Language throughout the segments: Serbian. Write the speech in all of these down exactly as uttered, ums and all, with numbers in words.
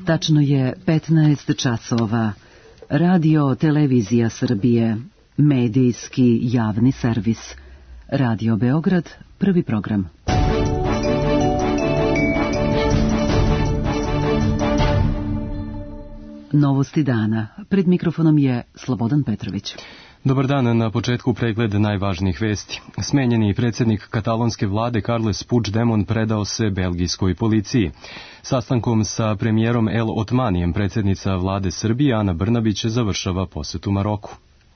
Tačno je petnaest časova. Radio Televizija Srbije, medijski javni servis. Radio Beograd, prvi program. Novosti dana. Pred mikrofonom je Slobodan Petrović. Dobar dan, na početku pregled najvažnijih vesti. Smenjeni predsjednik katalonske vlade Carles Puigdemont predao se belgijskoj policiji. Sastankom sa premijerom El Otmanijem predsjednica vlade Srbije Ana Brnabić završava posjetu Maroku.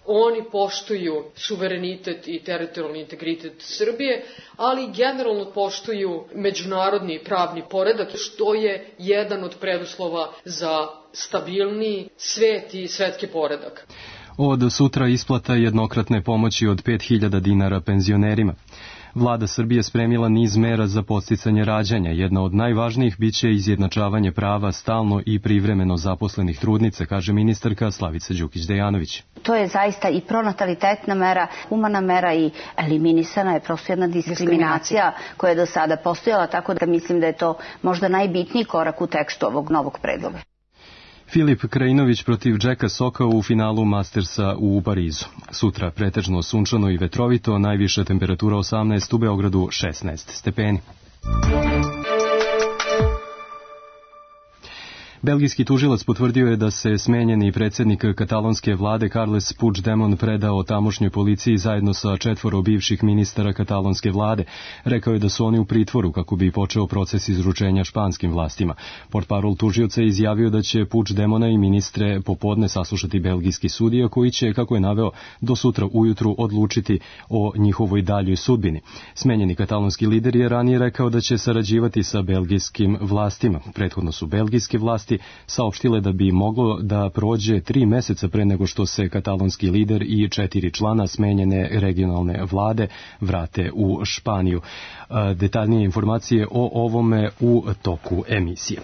Oni poštuju suverenitet i teritorijalni integritet Srbije, ali generalno poštuju međunarodni pravni poredak, što je jedan od preduslova za stabilniji svet i svetski poredak. Od sutra isplata jednokratne pomoći od pet hiljada dinara penzionerima. Vlada Srbije spremila niz mera za podsticanje rađanja. Jedna od najvažnijih biće izjednačavanje prava stalno i privremeno zaposlenih trudnica, kaže ministarka Slavica Đukić-Dejanović. To je zaista i pronatalitetna mera, humana mera i eliminisana je prosto jedna diskriminacija koja je do sada postojala, tako da mislim da je to možda najbitniji korak u tekstu ovog novog predloga. Filip Krajinović protiv Jacka Soka u finalu Mastersa u Parizu. Sutra pretežno sunčano i vetrovito, najviša temperatura osamnaest, u Beogradu šesnaest stepeni. Belgijski tužilac potvrdio je da se smenjeni predsjednik katalonske vlade Carles Puigdemont predao tamošnjoj policiji zajedno sa četvoro bivših ministara katalonske vlade. Rekao je da su oni u pritvoru kako bi počeo proces izručenja španskim vlastima. Portparol tužioca je izjavio da će Puigdemona i ministre popodne saslušati belgijski sudija koji će, kako je naveo, do sutra ujutru odlučiti o njihovoj daljoj sudbini. Smenjeni katalonski lider je ranije rekao da će sarađivati sa belgijskim vlastima. Prethodno su belgijske vlasti saopštile da bi moglo da prođe tri meseca pre nego što se katalonski lider i četiri člana smenjene regionalne vlade vrate u Španiju. Detaljnije informacije o ovome u toku emisije.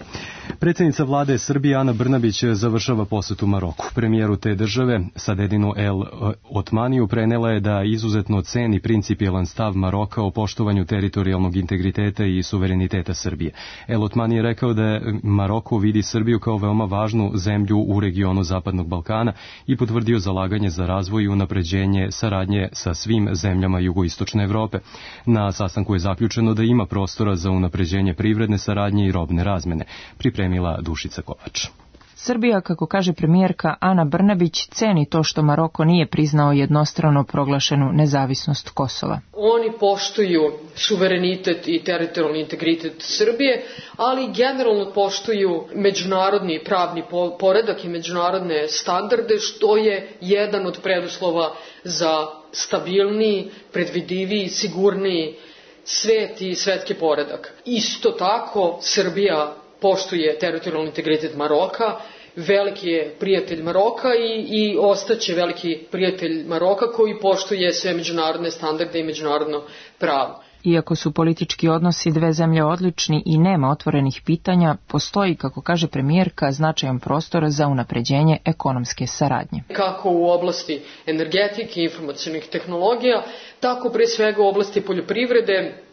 Predsjednica vlade Srbije Ana Brnabić završava posjetu Maroku. Premijeru te države Sadedinu El Otmaniju prenela je da izuzetno ceni principijelan stav Maroka o poštovanju teritorijalnog integriteta i suvereniteta Srbije. El Otmani je rekao da Maroko vidi Srbiju kao veoma važnu zemlju u regionu Zapadnog Balkana i potvrdio zalaganje za razvoj i unapređenje saradnje sa svim zemljama jugoistočne Evrope. Na sastanku je zaključeno da ima prostora za unapređenje privredne saradnje i robne razmene, pripremila Dušica Kovač. Srbija, kako kaže premijerka Ana Brnabić, ceni to što Maroko nije priznao jednostrano proglašenu nezavisnost Kosova. Oni poštuju suverenitet i teritorijalni integritet Srbije, ali generalno poštuju međunarodni pravni poredak i međunarodne standarde, što je jedan od preduslova za stabilniji, predvidiviji, sigurniji svet i svetski poredak. Isto tako, Srbija poštuje teritorijalni integritet Maroka, veliki je prijatelj Maroka i, i ostaće veliki prijatelj Maroka koji poštuje sve međunarodne standarde i međunarodno pravo. Iako su politički odnosi dve zemlje odlični i nema otvorenih pitanja, postoji, kako kaže premijerka, značajan prostor za unapređenje ekonomske saradnje. Kako u oblasti energetike i informacionih tehnologija, tako pre svega u oblasti poljoprivrede.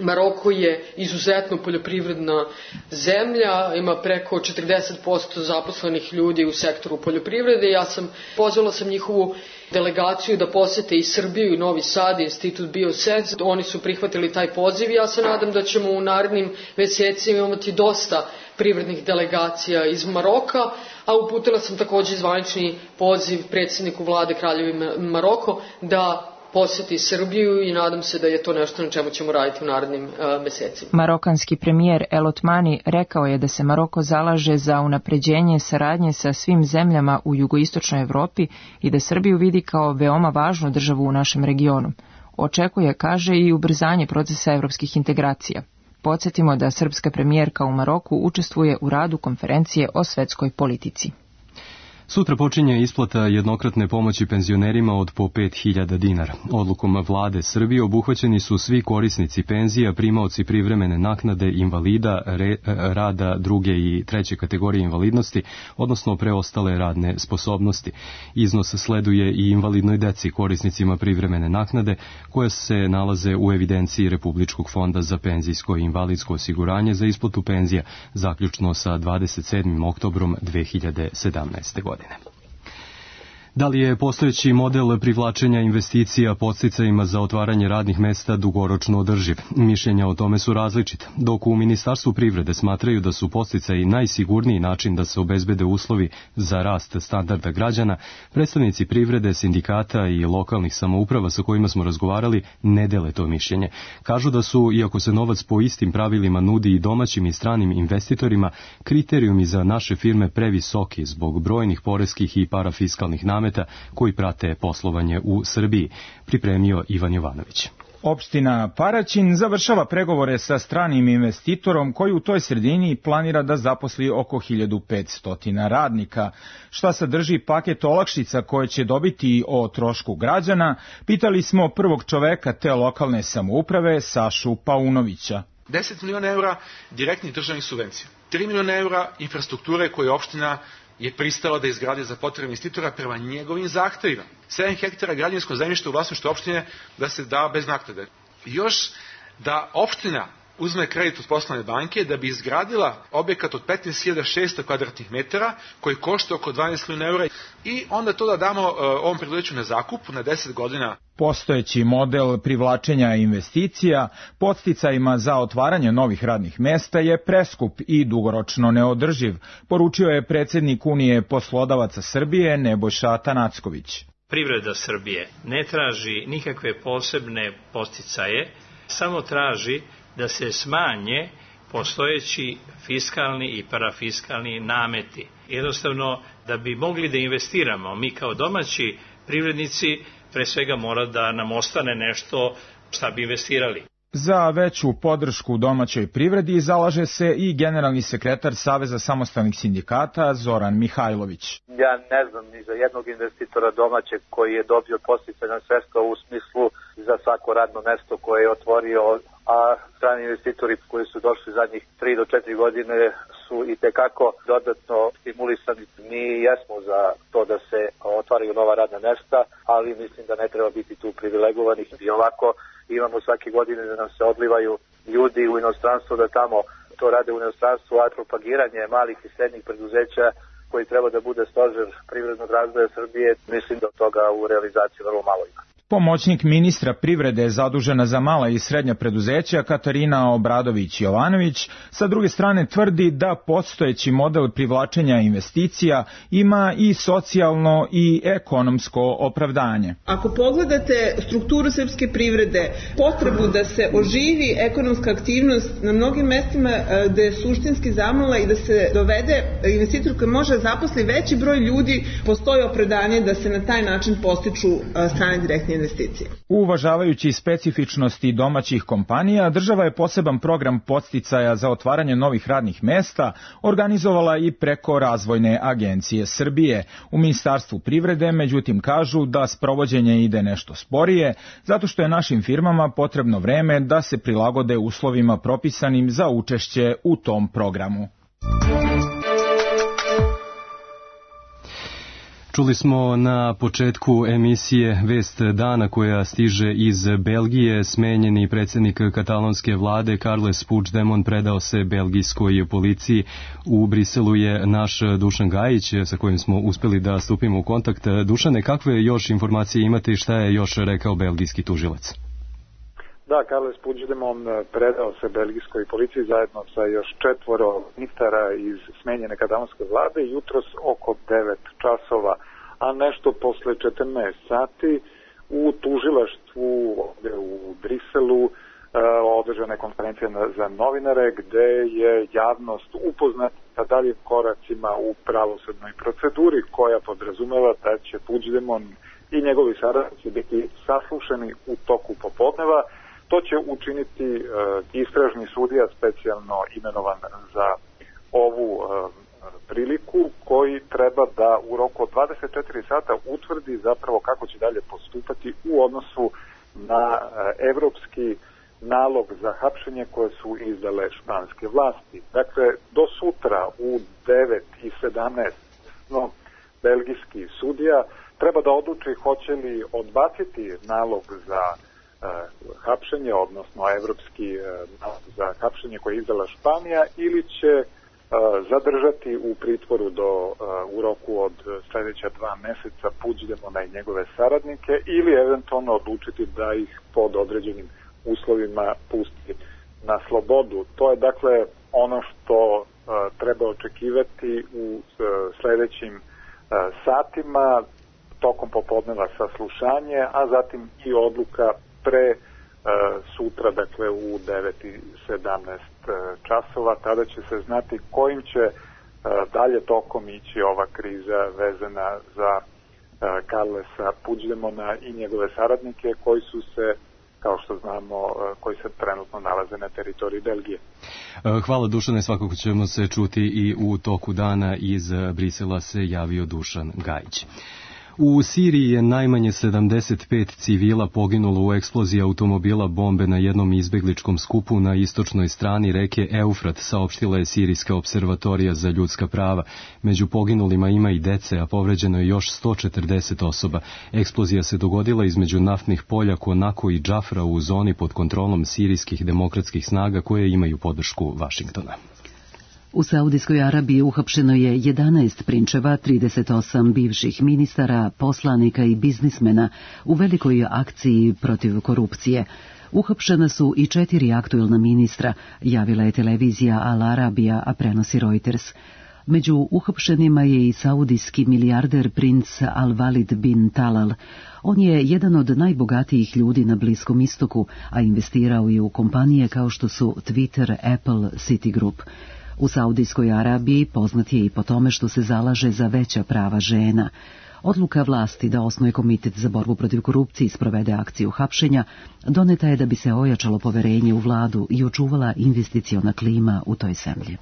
Maroko je izuzetno poljoprivredna zemlja, ima preko četrdeset posto zaposlenih ljudi u sektoru poljoprivrede. Ja sam pozvala sam njihovu delegaciju da posete i Srbiju i Novi Sad, Institut Biosens. Oni su prihvatili taj poziv i ja se nadam da ćemo u narednim mesecima imati dosta privrednih delegacija iz Maroka, a uputila sam također zvanični poziv predsjedniku vlade Kraljevine Maroko da posjeti Srbiju i nadam se da je to nešto na čemu ćemo raditi u narednim uh, mesecima. Marokanski premijer El Otmani rekao je da se Maroko zalaže za unapređenje saradnje sa svim zemljama u jugoistočnoj Evropi i da Srbiju vidi kao veoma važnu državu u našem regionu. Očekuje, kaže, i ubrzanje procesa evropskih integracija. Podsjetimo da srpska premijerka u Maroku učestvuje u radu konferencije o svetskoj politici. Sutra počinje isplata jednokratne pomoći penzionerima od po pet hiljada dinara. Odlukom vlade Srbije obuhvaćeni su svi korisnici penzija, primaoci privremene naknade, invalida, re, rada druge i treće kategorije invalidnosti, odnosno preostale radne sposobnosti. Iznos sleduje i invalidnoj deci, korisnicima privremene naknade, koje se nalaze u evidenciji Republičkog fonda za penzijsko i invalidsko osiguranje za isplatu penzija, zaključno sa dvadeset sedmim oktobrom dve hiljade sedamnaeste. godine. Da li je postojeći model privlačenja investicija podsticajima za otvaranje radnih mesta dugoročno održiv? Mišljenja o tome su različita. Dok u Ministarstvu privrede smatraju da su podsticaji najsigurniji način da se obezbede uslovi za rast standarda građana, predstavnici privrede, sindikata i lokalnih samouprava sa kojima smo razgovarali ne dele to mišljenje. Kažu da su, iako se novac po istim pravilima nudi i domaćim i stranim investitorima, kriterijumi za naše firme previsoki zbog brojnih poreskih i parafiskalnih nameta koji prate poslovanje u Srbiji, pripremio Ivan Jovanović. Opština Paraćin završava pregovore sa stranim investitorom koji u toj sredini planira da zaposli oko hiljadu petsto radnika. Šta sadrži paket olakšica koje će dobiti o trošku građana, pitali smo prvog čoveka te lokalne samouprave, Sašu Paunovića. deset miliona eura direktnih državnih subvencija, tri miliona eura infrastrukture koje opština je pristala da izgradi za potrebe investitora prema njegovim zahtevima. sedam hektara građevinskog zemljišta u vlasništvu opštine da se da bez naknade. Još da opština uzme kredit od poslovne banke da bi izgradila objekat od petnaest hiljada šesto kvadratnih metara koji košta oko dvanaest miliona eura i onda to da damo uh, ovom preduzeću na zakup na deset godina. Postojeći model privlačenja investicija podsticajima za otvaranje novih radnih mesta je preskup i dugoročno neodrživ, poručio je predsjednik Unije poslodavaca Srbije Nebojša Tanacković. Privreda Srbije ne traži nikakve posebne podsticaje, samo traži da se smanje postojeći fiskalni i parafiskalni nameti. Jednostavno, da bi mogli da investiramo, mi kao domaći privrednici pre svega mora da nam ostane nešto šta bi investirali. Za veću podršku domaćoj privredi zalaže se i generalni sekretar Saveza samostalnih sindikata Zoran Mihajlović. Ja ne znam ni za jednog investitora domaćeg koji je dobio podsticajna sredstva u smislu za svako radno mesto koje je otvorio, a strani investitori koji su došli zadnjih tri do četiri godine su i tekako dodatno stimulisani. Mi jesmo za to da se otvaraju nova radna mesta, ali mislim da ne treba biti tu privilegovanih. I ovako imamo svake godine da nam se odlivaju ljudi u inostranstvo da tamo to rade u inostranstvu, a propagiranje malih i srednjih preduzeća koji treba da bude stožer privrednog razvoja Srbije, mislim da toga u realizaciji vrlo malo ima. Pomoćnik ministra privrede zadužena za mala i srednja preduzeća Katarina Obradović-Jovanović sa druge strane tvrdi da postojeći model privlačenja investicija ima i socijalno i ekonomsko opravdanje. Ako pogledate strukturu srpske privrede, potrebu da se oživi ekonomska aktivnost na mnogim mestima gde je suštinski zamala i da se dovede investitor koji može zaposli veći broj ljudi, postoji opravdanje da se na taj način postiču strane direktne investicije. Uvažavajući specifičnosti domaćih kompanija, država je poseban program podsticaja za otvaranje novih radnih mesta organizovala i preko Razvojne agencije Srbije. U Ministarstvu privrede, međutim, kažu da sprovođenje ide nešto sporije, zato što je našim firmama potrebno vreme da se prilagode uslovima propisanim za učešće u tom programu. Čuli smo na početku emisije Vest dana koja stiže iz Belgije. Smenjeni predsjednik katalonske vlade Carles Puigdemont predao se belgijskoj policiji. U Briselu je naš Dušan Gajić sa kojim smo uspeli da stupimo u kontakt. Dušane, kakve još informacije imate i šta je još rekao belgijski tužilac? Da, Carles Puigdemont predao se belgijskoj policiji zajedno sa još četvoro ministara iz smenjene katalonske vlade jutros oko devet časova, a nešto posle četrnaest sati u tužilaštvu ovde u Briselu održana je konferencija za novinare gde je javnost upoznata sa daljim koracima u pravosudnoj proceduri koja podrazumeva da će Puigdemont i njegovi saradnici biti saslušani u toku popodneva. To će učiniti uh, istražni sudija specijalno imenovan za ovu uh, priliku, koji treba da u roku od dvadeset četiri sata utvrdi zapravo kako će dalje postupati u odnosu na evropski nalog za hapšenje koje su izdale španske vlasti. Dakle, do sutra u devet i sedamnaest no, belgijski sudija treba da odluči hoće li odbaciti nalog za uh, hapšenje, odnosno evropski uh, nalog za hapšenje koje je izdala Španija, ili će uh, zadržati u pritvoru do, uh, u roku od sledeća dva meseca Puigdemona i njegove saradnike, ili eventualno odlučiti da ih pod određenim uslovima pusti na slobodu. To je dakle ono što uh, treba očekivati u uh, sledećim uh, satima, tokom popodneva saslušanje, a zatim i odluka pre uh, sutra, dakle u devet i sedamnaest uh, časova. Tada će se znati kojim će uh, dalje tokom ići ova kriza vezana za uh, Carlesa Puigdemona i njegove saradnike koji su se, kao što znamo, koji se trenutno nalaze na teritoriji Belgije. Hvala Dušane, svakako ćemo se čuti i u toku dana. Iz Brisela se javio Dušan Gajić. U Siriji je najmanje sedamdeset pet civila poginulo u eksploziji automobila bombe na jednom izbegličkom skupu na istočnoj strani reke Eufrat, saopštila je Sirijska observatorija za ljudska prava. Među poginulima ima i dece, a povređeno je još sto četrdeset osoba. Eksplozija se dogodila između naftnih polja Konako i Džafra u zoni pod kontrolom sirijskih demokratskih snaga koje imaju podršku Vašingtona. U Saudijskoj Arabiji uhapšeno je jedanaest prinčeva, trideset osam bivših ministara, poslanika i biznismena u velikoj akciji protiv korupcije. Uhapšena su i četiri aktuelna ministra, javila je televizija Al Arabija, a prenosi Reuters. Među uhapšenima je i saudijski milijarder princ Al-Walid bin Talal. On je jedan od najbogatijih ljudi na Bliskom istoku, a investirao je u kompanije kao što su Twitter, Apple, Citigroup. U Saudijskoj Arabiji poznat je i po tome što se zalaže za veća prava žena. Odluka vlasti da osnuje komitet za borbu protiv korupcije i sprovede akciju hapšenja doneta je da bi se ojačalo poverenje u vladu i očuvala investiciona klima u toj zemlji.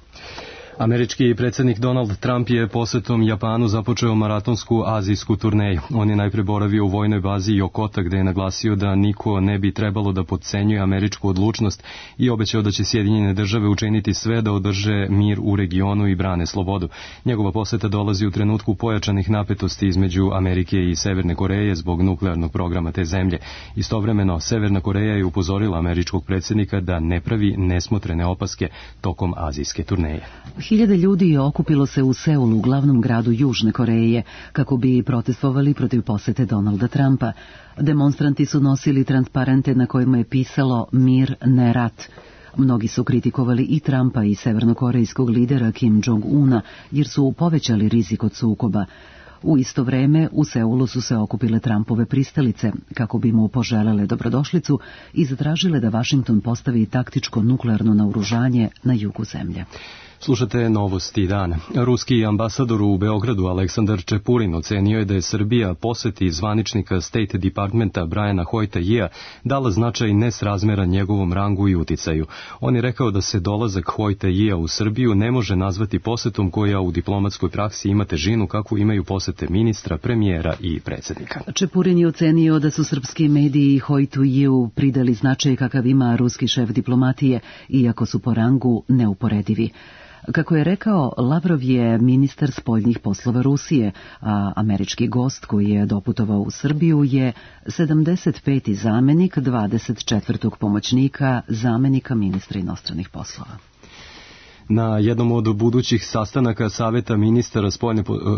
Američki predsjednik Donald Trump je posetom Japanu započeo maratonsku azijsku turneju. On je najpre boravio u vojnoj bazi Yokota, gde je naglasio da niko ne bi trebalo da potcenjuje američku odlučnost i obećao da će Sjedinjene države učiniti sve da održe mir u regionu i brane slobodu. Njegova poseta dolazi u trenutku pojačanih napetosti između Amerike i Severne Koreje zbog nuklearnog programa te zemlje. Istovremeno, Severna Koreja je upozorila američkog predsjednika da ne pravi nesmotrene opaske tokom azijske turneje. Hiljade ljudi je okupilo se u Seulu, glavnom gradu Južne Koreje, kako bi protestovali protiv posete Donalda Trumpa. Demonstranti su nosili transparente na kojima je pisalo mir, ne rat. Mnogi su kritikovali i Trumpa i severnokorejskog lidera Kim Jong-una, jer su povećali rizik od sukoba. U isto vreme u Seulu su se okupile Trumpove pristalice, kako bi mu poželele dobrodošlicu i zatražile da Vašington postavi taktičko nuklearno naoružanje na jugu zemlje. Slušate novosti dana. Ruski ambasador u Beogradu Aleksandar Čepurin ocenio je da je Srbija poseti zvaničnika State Departmenta Briana Hoyta-Yea dala značaj nesrazmeran njegovom rangu i uticaju. On je rekao da se dolazak Hoyta-Yea u Srbiju ne može nazvati posetom koja u diplomatskoj praksi ima težinu kakvu imaju posete ministra, premijera i predsjednika. Čepurin je ocenio da su srpski mediji Hoytu-Yeu pridali značaj kakav ima ruski šef diplomatije, iako su po rangu neuporedivi. Kako je rekao, Lavrov je ministar spoljnih poslova Rusije, a američki gost koji je doputovao u Srbiju je sedamdeset peti zamenik dvadeset četvrtog pomoćnika zamenika ministra inostranih poslova. Na jednom od budućih sastanaka Saveta ministara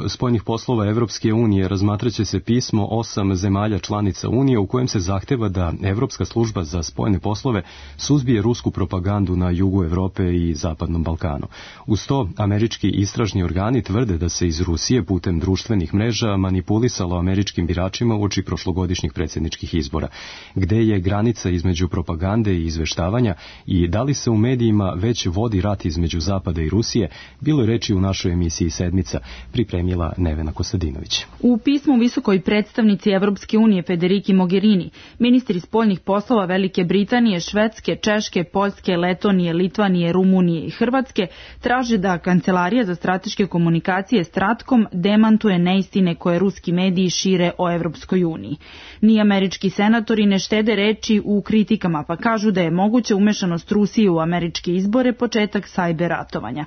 spoljnih poslova Evropske unije razmatraće se pismo osam zemalja članica Unije u kojem se zahteva da Evropska služba za spoljne poslove suzbije rusku propagandu na jugu Evrope i Zapadnom Balkanu. Uz to, američki istražni organi tvrde da se iz Rusije putem društvenih mreža manipulisalo američkim biračima uoči prošlogodišnjih predsjedničkih izbora. Gde je granica između propagande i izveštavanja i da li se u medijima već vodi rat između između Zapada i Rusije, bilo je reči u našoj emisiji Sedmica, pripremila Nevena Kostadinović. U pismu visokoj predstavnici Evropske unije Federiki Mogherini, ministri spoljnih poslova Velike Britanije, Švedske, Češke, Poljske, Letonije, Litvanije, Rumunije i Hrvatske traže da Kancelarija za strateške komunikacije Stratkom demantuje neistine koje ruski mediji šire o Evropskoj uniji. Ni američki senatori ne štede reči u kritikama, pa kažu da je moguća umešanost Rusije u američke izbore početak sajber ratovanja.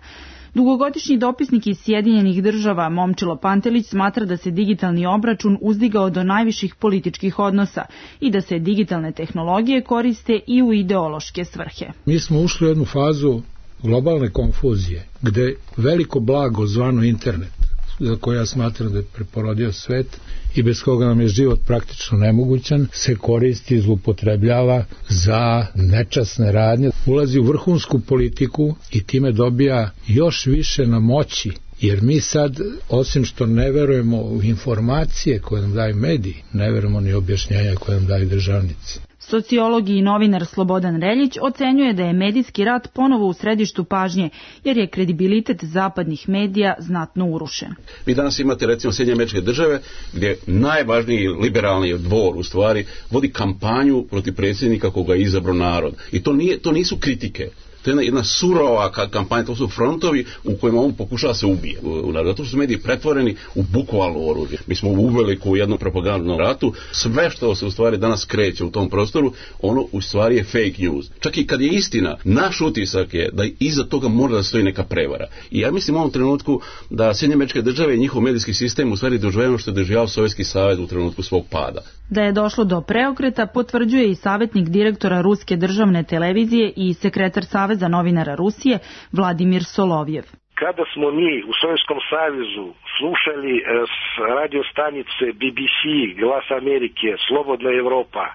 Dugogodišnji dopisnik iz Sjedinjenih država Momčilo Pantelić smatra da se digitalni obračun uzdigao do najviših političkih odnosa i da se digitalne tehnologije koriste i u ideološke svrhe. Mi smo ušli u jednu fazu globalne konfuzije, gde veliko blago zvano internet, za koje ja smatram da je preporodio svet i bez koga nam je život praktično nemogućan, se koristi i zloupotrebljava za nečasne radnje, ulazi u vrhunsku politiku i time dobija još više na moći, jer mi sad, osim što ne verujemo u informacije koje nam daju mediji, ne verujemo ni objašnjenja koje nam daju državnici. Sociolog i novinar Slobodan Reljić ocenjuje da je medijski rat ponovo u središtu pažnje, jer je kredibilitet zapadnih medija znatno urušen. Vi danas imate recimo Sjedinjene Američke Države, gdje najvažniji liberalni dvor u stvari vodi kampanju protiv predsjednika koga je izabrao narod. I to, nije, to nisu kritike. To je jedna, jedna surova kampanja, to su frontovi u kojima on pokušava se ubije. Zato su mediji pretvoreni u bukvalno oružje. Mi smo uveli u jednom propagandnom ratu. Sve što se u stvari danas kreće u tom prostoru, ono u stvari je fake news. Čak i kad je istina, naš utisak je da iza toga mora da stoji neka prevara. I ja mislim u ovom trenutku da Sjedinjene Američke Države i njihov medijski sistem u stvari doživljava što je doživljavao Sovjetski savez u trenutku svog pada. Da je došlo do preokreta potvrđuje i savjetnik direktora Ruske državne televizije i sekretar Saveza novinara Rusije Vladimir Solovjev. Kada smo mi u Sovjetskom savezu slušali s radio stanice B B C, Glas Amerike, Slobodna Evropa,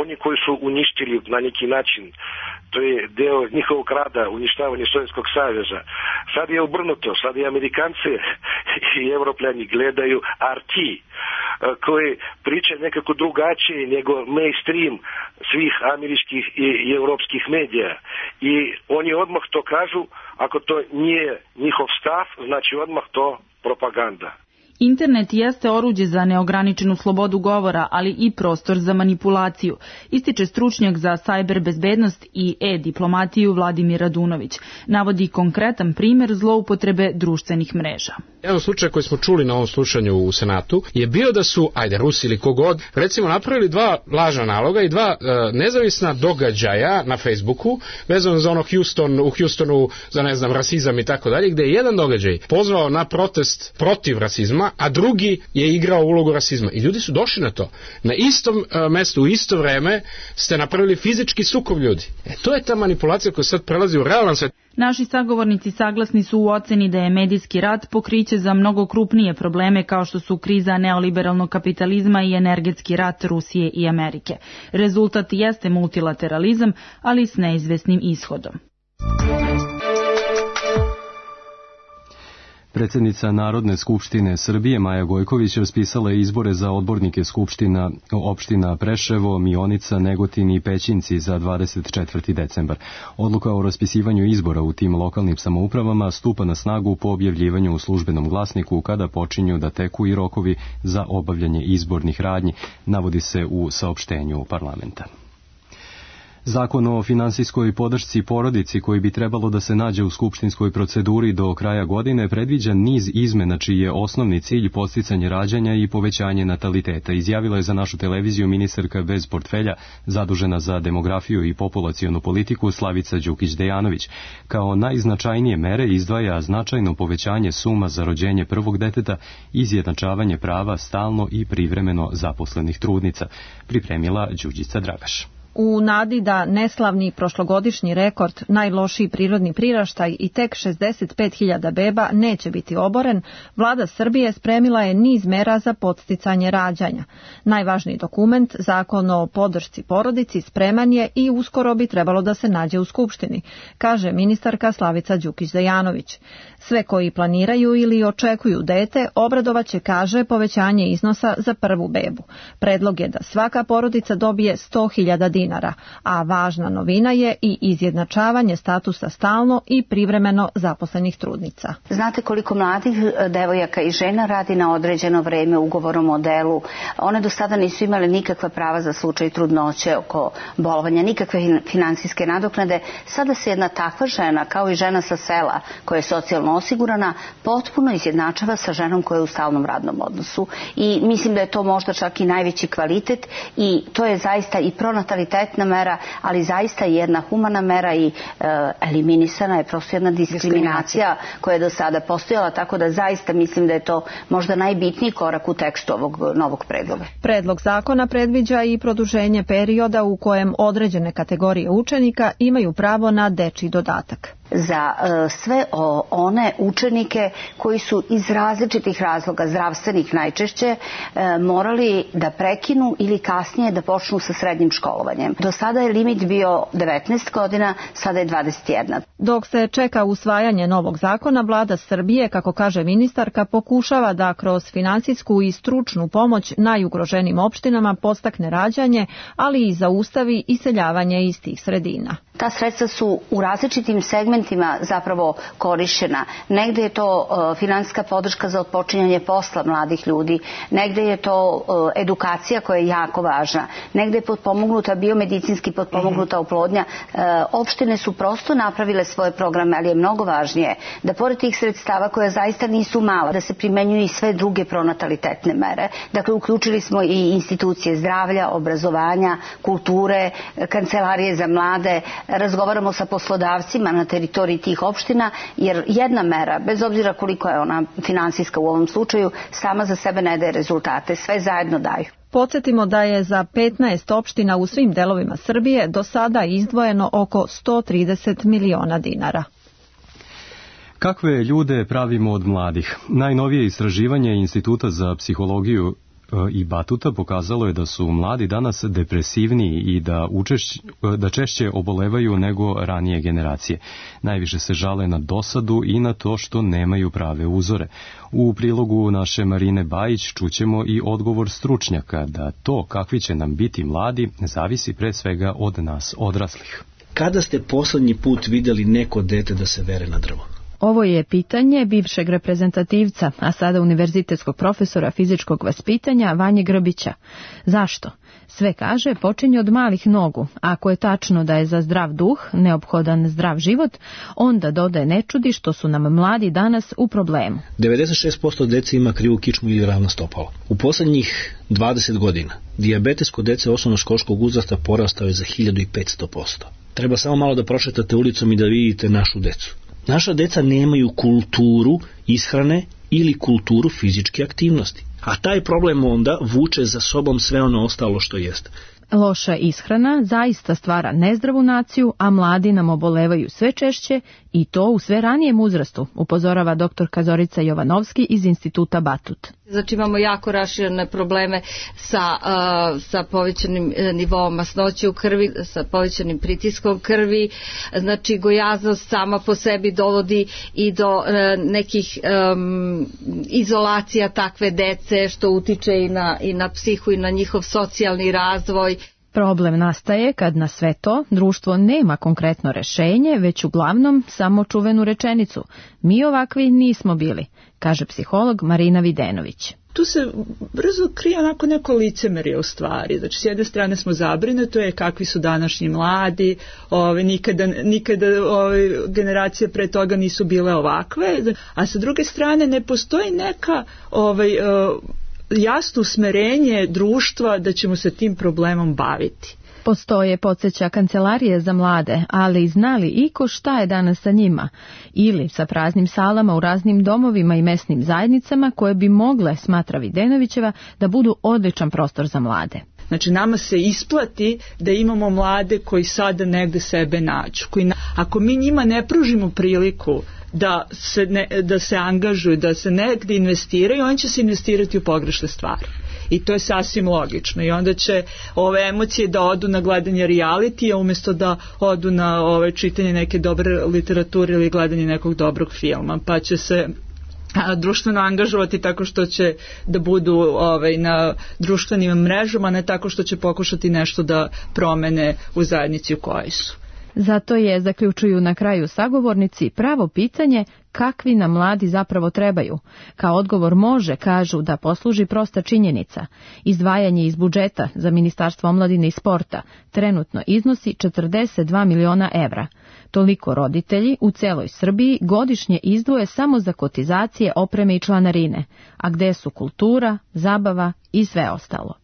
oni koji su uništili na neki način, to je deo njihovog rada, uništavanje Sovjetskog saveza. Sad je obrnuto, sad i Amerikanci i Evropljani gledaju R T, koji priča nekako drugačije nego mainstream svih američkih i evropskih medija. I oni odmah to kažu, ako to nije njihov stav, znači odmah to propaganda. Internet jeste oruđe za neograničenu slobodu govora, ali i prostor za manipulaciju, ističe stručnjak za sajber bezbednost i e-diplomatiju Vladimir Radunović. Navodi konkretan primjer zloupotrebe društvenih mreža. Jedan slučaj koji smo čuli na ovom slušanju u Senatu je bio da su, ajde, Rusi ili kogod, recimo napravili dva lažna naloga i dva e, nezavisna događaja na Facebooku, vezano za ono Houston, u Houstonu za, ne znam, rasizam i tako dalje, gde je jedan događaj pozvao na protest protiv rasizma, a drugi je igrao ulogu rasizma. I ljudi su došli na to. Na istom e, mestu, u isto vreme ste napravili fizički sukob ljudi. E, to je ta manipulacija koja sad prelazi u realan svet. Naši sagovornici saglasni su u oceni da je medijski rat pokriće za mnogo krupnije probleme kao što su kriza neoliberalnog kapitalizma i energetski rat Rusije i Amerike. Rezultat jeste multilateralizam, ali s neizvesnim ishodom. Predsjednica Narodne skupštine Srbije Maja Gojković raspisala je izbore za odbornike skupština opština Preševo, Mionica, Negotin i Pećinci za dvadeset četvrti decembar. Odluka o raspisivanju izbora u tim lokalnim samoupravama stupa na snagu po objavljivanju u službenom glasniku kada počinju da teku i rokovi za obavljanje izbornih radnji, navodi se u saopštenju parlamenta. Zakon o finansijskoj podršci porodici koji bi trebalo da se nađe u skupštinskoj proceduri do kraja godine predviđa niz izmena čiji je osnovni cilj podsticanje rađanja i povećanje nataliteta, izjavila je za našu televiziju ministarka bez portfelja zadužena za demografiju i populacionu politiku Slavica Đukić-Dejanović. Kao najznačajnije mere izdvaja značajno povećanje suma za rođenje prvog deteta i izjednačavanje prava stalno i privremeno zaposlenih trudnica, pripremila Đuđica Dragaš. U nadi da neslavni prošlogodišnji rekord, najlošiji prirodni priraštaj i tek šezdeset pet hiljada beba neće biti oboren, vlada Srbije spremila je niz mera za podsticanje rađanja. Najvažniji dokument, Zakon o podršci porodici, spreman je i uskoro bi trebalo da se nađe u Skupštini, kaže ministarka Slavica Đukić-Dejanović. Sve koji planiraju ili očekuju dete obradovaće, kaže, povećanje iznosa za prvu bebu. Predlog je da svaka porodica dobije sto hiljada dinara. dinara, a važna novina je i izjednačavanje statusa stalno i privremeno zaposlenih trudnica. Znate koliko mladih devojaka i žena radi na određeno vreme ugovorom o delu? One do sada nisu imale nikakva prava za slučaj trudnoće, oko bolovanja, nikakve finansijske nadoknade. Sada se jedna takva žena, kao i žena sa sela koja je socijalno osigurana, potpuno izjednačava sa ženom koja je u stalnom radnom odnosu. I mislim da je to možda čak i najveći kvalitet i to je zaista i pronatalitetna mera, ali zaista i jedna humana mera i e, eliminisana je prosto jedna diskriminacija koja je do sada postojala, tako da zaista mislim da je to možda najbitniji korak u tekstu ovog novog predloga. Predlog zakona predviđa i produženje perioda u kojem određene kategorije učenika imaju pravo na dečji dodatak. Za e, sve o, one učenike koji su iz različitih razloga, zdravstvenih najčešće, e, morali da prekinu ili kasnije da počnu sa srednjim školovanjem. Do sada je limit bio devetnaest godina, sada je dvadeset jedna. Dok se čeka usvajanje novog zakona, vlada Srbije, kako kaže ministarka, pokušava da kroz finansijsku i stručnu pomoć najugroženim opštinama podstakne rađanje, ali i zaustavi iseljavanje iz tih sredina. Ta sredstva su u različitim segmentima zapravo korišćena. Negde je to uh, finansijska podrška za otpočinjanje posla mladih ljudi, negde je to uh, edukacija koja je jako važna, negde je potpomognuta biomedicinski potpomognuta oplodnja. Uh, opštine su prosto napravile svoje programe, ali je mnogo važnije da pored tih sredstava koja zaista nisu mala, da se primenjuju i sve druge pronatalitetne mere. Dakle, uključili smo i institucije zdravlja, obrazovanja, kulture, kancelarije za mlade, razgovaramo sa poslodavcima na teritoriji tih opština, jer jedna mera, bez obzira koliko je ona finansijska u ovom slučaju, sama za sebe ne daje rezultate, sve zajedno daju. Podsjetimo da je za petnaest opština u svim delovima Srbije do sada izdvojeno oko sto trideset miliona dinara. Kakve ljude pravimo od mladih? Najnovije istraživanje Instituta za psihologiju i Batuta pokazalo je da su mladi danas depresivniji i da, učešć, da češće obolevaju nego ranije generacije. Najviše se žale na dosadu i na to što nemaju prave uzore. U prilogu naše Marine Bajić čućemo i odgovor stručnjaka da to kakvi će nam biti mladi zavisi pre svega od nas odraslih. Kada ste poslednji put videli neko dete da se vere na drvo? Ovo je pitanje bivšeg reprezentativca, a sada univerzitetskog profesora fizičkog vaspitanja Vanje Grbića. Zašto? Sve kaže počinje od malih nogu. Ako je tačno da je za zdrav duh neophodan zdrav život, onda dodaje ne čudi što su nam mladi danas u problemu. devedeset šest posto dece ima krivu kičmu ili ravno stopalo. U poslednjih dvadeset godina dijabetes kod dece osnovnoškolskog uzrasta porastao je za hiljadu petsto posto. Treba samo malo da prošetate ulicom i da vidite našu decu. Naša deca nemaju kulturu ishrane ili kulturu fizičke aktivnosti. A taj problem onda vuče za sobom sve ono ostalo što jeste. Loša ishrana zaista stvara nezdravu naciju, a mladi nam obolevaju sve češće i to u sve ranijem uzrastu, upozorava doktorka Zorica Jovanovski iz Instituta Batut. Znači imamo jako raširene probleme sa, uh, sa povećanim nivoom masnoće u krvi, sa povećanim pritiskom krvi, znači gojaznost sama po sebi dovodi i do uh, nekih um, izolacija takve dece, što utiče i na, i na psihu i na njihov socijalni razvoj. Problem nastaje kad na sve to društvo nema konkretno rešenje, već uglavnom samo čuvenu rečenicu. Mi ovakvi nismo bili, kaže psiholog Marina Videnović. Tu se brzo krije onako neko licemerje u stvari. Znači, s jedne strane smo zabrinuti, to je kakvi su današnji mladi, ove, nikada, nikada ove, generacije pre toga nisu bile ovakve, a sa druge strane ne postoji neka ovaj, jasno usmerenje društva da ćemo se tim problemom baviti. Postoje, podsjeća Kancelarije za mlade, ali znali iko šta je danas sa njima? Ili sa praznim salama u raznim domovima i mesnim zajednicama koje bi mogle, smatra Videnovićeva, da budu odličan prostor za mlade. Znači nama se isplati da imamo mlade koji sada negde sebe nađu. Koji, ako mi njima ne pružimo priliku da se, ne, da se angažuju, da se negde investiraju, oni će se investirati u pogrešne stvari. I to je sasvim logično. I onda će ove emocije da odu na gledanje realitija umjesto da odu na ove čitanje neke dobre literature ili gledanje nekog dobrog filma. Pa će se društveno angažovati tako što će da budu ovaj, na društvenim mrežama, ne tako što će pokušati nešto da promene u zajednici u kojoj su. Zato je, zaključuju na kraju sagovornici, pravo pitanje kakvi nam mladi zapravo trebaju. Kao odgovor može, kažu, da posluži prosta činjenica. Izdvajanje iz budžeta za Ministarstvo omladine i sporta trenutno iznosi četrdeset dva miliona evra. Toliko roditelji u celoj Srbiji godišnje izdvoje samo za kotizacije, opreme i članarine, a gde su kultura, zabava i sve ostalo.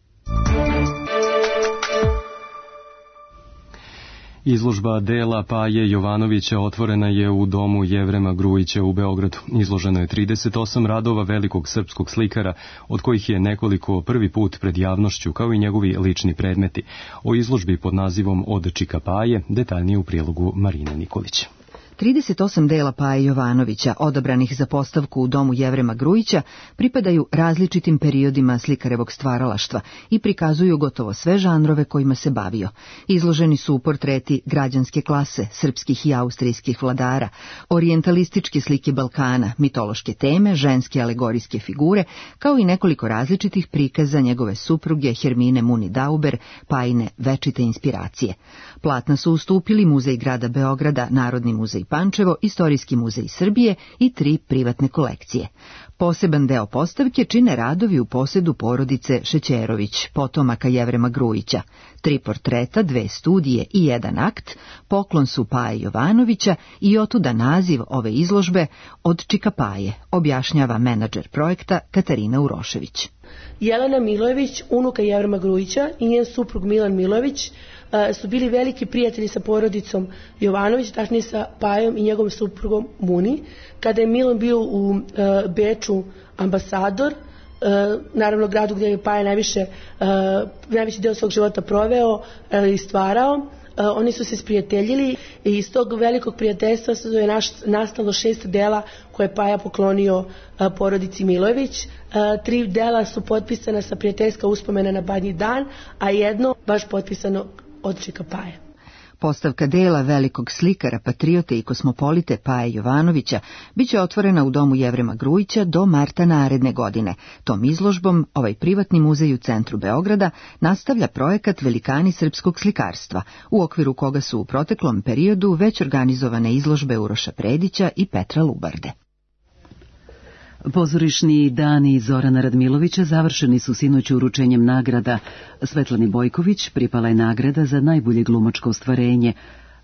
Izložba dela Paje Jovanovića otvorena je u domu Jevrema Grujića u Beogradu. Izloženo je trideset osam radova velikog srpskog slikara, od kojih je nekoliko prvi put pred javnošću, kao i njegovi lični predmeti. O izložbi pod nazivom Od Čika Paje detaljnije u prilogu Marine Nikolića. trideset osam dela Paje Jovanovića, odabranih za postavku u domu Jevrema Grujića, pripadaju različitim periodima slikarevog stvaralaštva i prikazuju gotovo sve žanrove kojima se bavio. Izloženi su portreti građanske klase, srpskih i austrijskih vladara, orijentalističke slike Balkana, mitološke teme, ženske alegorijske figure, kao i nekoliko različitih prikaza njegove supruge Hermine Muni Dauber, Pajine večite inspiracije. Platna su ustupili Muzej grada Beograda, Narodni muzej Pančevo, Istorijski muzej Srbije i tri privatne kolekcije. Poseban deo postavke čine radovi u posedu porodice Šećerović, potomaka Jevrema Grujića. Tri portreta, dve studije i jedan akt, poklon su Paje Jovanovića i otuda naziv ove izložbe Od Čika Paje, objašnjava menadžer projekta Katarina Urošević. Jelena Milojević, unuka Jevrema Grujića, i njen suprug Milan Milojević su bili veliki prijatelji sa porodicom Jovanović, tačnije sa Pajom i njegovom suprugom Muni. Kada je Milan bio u Beču ambasador, naravno gradu gdje je Paja najviše, najviše deo svog života proveo i stvarao, oni su se sprijateljili i iz tog velikog prijateljstva je naš, nastalo šest dela koje je Paja poklonio porodici Milojević. Tri dela su potpisana sa prijateljska uspomena na Badnji dan, a jedno baš potpisano Od Čika Paje. Postavka dela velikog slikara, patriote i kosmopolite Paje Jovanovića biće otvorena u domu Jevrema Grujića do marta naredne godine. Tom izložbom ovaj privatni muzej u centru Beograda nastavlja projekat Velikani srpskog slikarstva, u okviru koga su u proteklom periodu već organizovane izložbe Uroša Predića i Petra Lubarde. Pozorišni dani Zorana Radmilovića završeni su sinoć uručenjem nagrada. Svetlani Bojković pripala je nagrada za najbolje glumačko ostvarenje.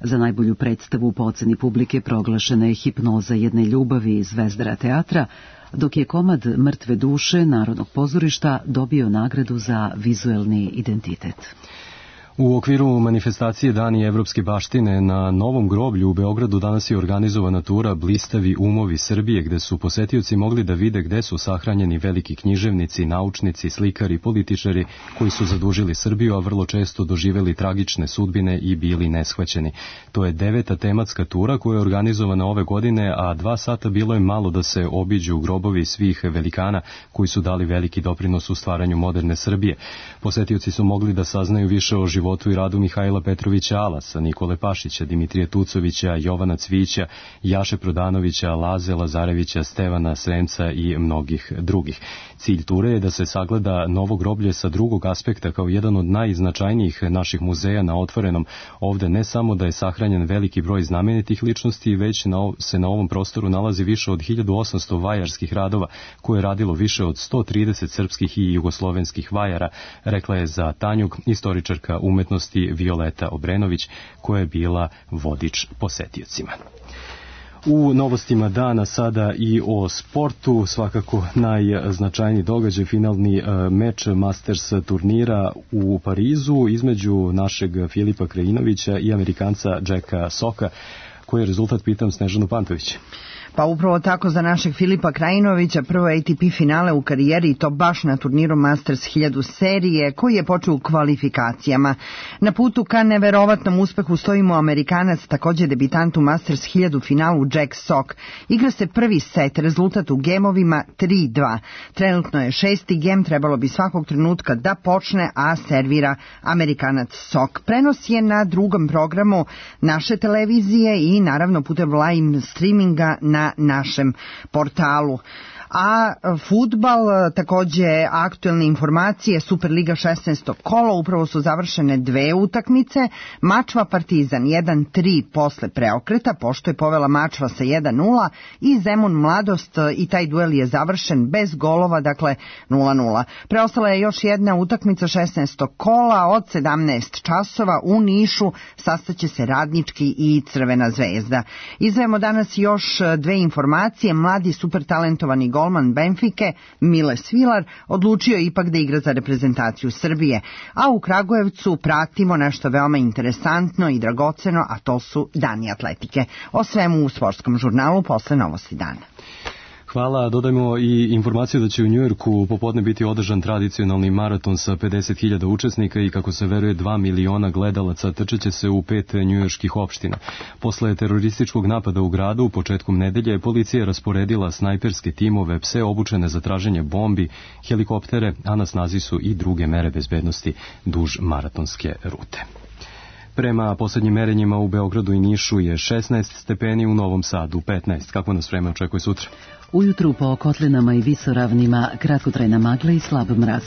Za najbolju predstavu po oceni publike proglašena je Hipnoza jedne ljubavi Zvezdara teatra, dok je komad Mrtve duše Narodnog pozorišta dobio nagradu za vizuelni identitet. U okviru manifestacije Dani evropske baštine na Novom groblju u Beogradu danas je organizovana tura Blistavi umovi Srbije, gde su posetioci mogli da vide gde su sahranjeni veliki književnici, naučnici, slikari, političari koji su zadužili Srbiju, a vrlo često doživeli tragične sudbine i bili neshvaćeni. To je deveta tematska tura koja je organizovana ove godine, a dva sata bilo je malo da se obiđu grobovi svih velikana koji su dali veliki doprinos u stvaranju moderne Srbije. Posetioci su mogli da saznaju više o životu i radu Mihajla Petrovića Alasa, Nikole Pašića, Dimitrija Tucovića, Jovana Cvića, Jaše Prodanovića, Laze Lazarevića, Stevana Sremca i mnogih drugih. Cilj ture je da se sagleda Novo groblje sa drugog aspekta kao jedan od najznačajnijih naših muzeja na otvorenom. Ovde ne samo da je sahranjen veliki broj znamenitih ličnosti, već na, se na ovom prostoru nalazi više od hiljadu osamsto vajarskih radova koje je radilo više od sto trideset srpskih i jugoslovenskih vajara, rekla je za Tanjug istoričarka umetnosti Violeta Obrenović, koja je bila vodič posetiocima. U novostima dana sada i o sportu, svakako najznačajniji događaj, finalni meč Masters turnira u Parizu između našeg Filipa Krajinovića i Amerikanca Jacka Soka. Koji je rezultat, pitam Snežanu Pantović? Pa upravo tako za našeg Filipa Krajinovića, prvo A T P finale u karijeri i to baš na turniru Masters hiljadu serije koji je počeo u kvalifikacijama. Na putu ka neverovatnom uspehu stojimo Amerikanac, također debitant u Masters hiljadu finalu Jack Sock. Igra se prvi set, rezultat u gemovima tri dva. Trenutno je šesti gem, trebalo bi svakog trenutka da počne, a servira Amerikanac Sock. Prenos je na drugom programu naše televizije i naravno putem live streaminga na našem portalu. A fudbal, takođe aktuelne informacije, Superliga šesnaesto kolo, upravo su završene dve utakmice. Mačva Partizan jedan tri posle preokreta, pošto je povela Mačva sa jedan nula, i Zemun Mladost, i taj duel je završen bez golova, dakle nula nula. Preostala je još jedna utakmica šesnaestog kola od sedamnaest časova u Nišu, sastaće se Radnički i Crvena zvezda. Izdvajamo danas još dve informacije. Mladi supertalentovani golman Benfike, Mile Svilar, odlučio ipak da igra za reprezentaciju Srbije. A u Kragujevcu pratimo nešto veoma interesantno i dragoceno, a to su Dani atletike. O svemu u sportskom žurnalu posle Novosti dana. Hvala, dodajmo i informaciju da će u Njujorku popodne biti održan tradicionalni maraton sa pedeset hiljada učesnika i kako se veruje dva miliona gledalaca trčeće se u pet njujorških opština. Posle terorističkog napada u gradu, početkom nedelje, policija je rasporedila snajperske timove, pse obučene za traženje bombi, helikoptere, a na snazi su i druge mere bezbednosti duž maratonske rute. Prema poslednjim merenjima u Beogradu i Nišu je šesnaest stepeni, u Novom Sadu petnaest. Kako nas vreme očekuje sutra? Ujutru po kotlinama i visoravnima kratkotrajna magla i slab mraz.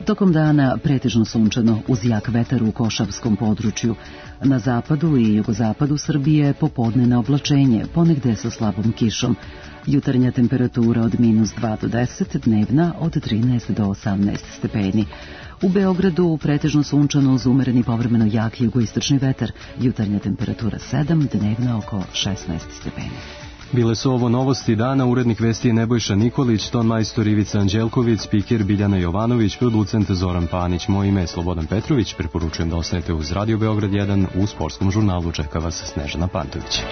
Tokom dana pretežno sunčano uz jak vetar u Košavskom području. Na zapadu i jugozapadu Srbije popodne na oblačenje, ponegde sa slabom kišom. Jutarnja temperatura od minus dva do deset, dnevna od trinaest do osamnaest stepeni. U Beogradu pretežno sunčano uz umereni povremeno jak jugoistočni vetar. Jutarnja temperatura sedam, dnevna oko šesnaest stepeni. Bile su ovo novosti dana, urednik vesti je Nebojša Nikolić, ton majstor Ivica Anđelković, spiker Biljana Jovanović, producent Zoran Panić. Moje ime je Slobodan Petrović, preporučujem da ostanete uz Radio Beograd jedan, u sportskom žurnalu čeka vas Snežana Pantović.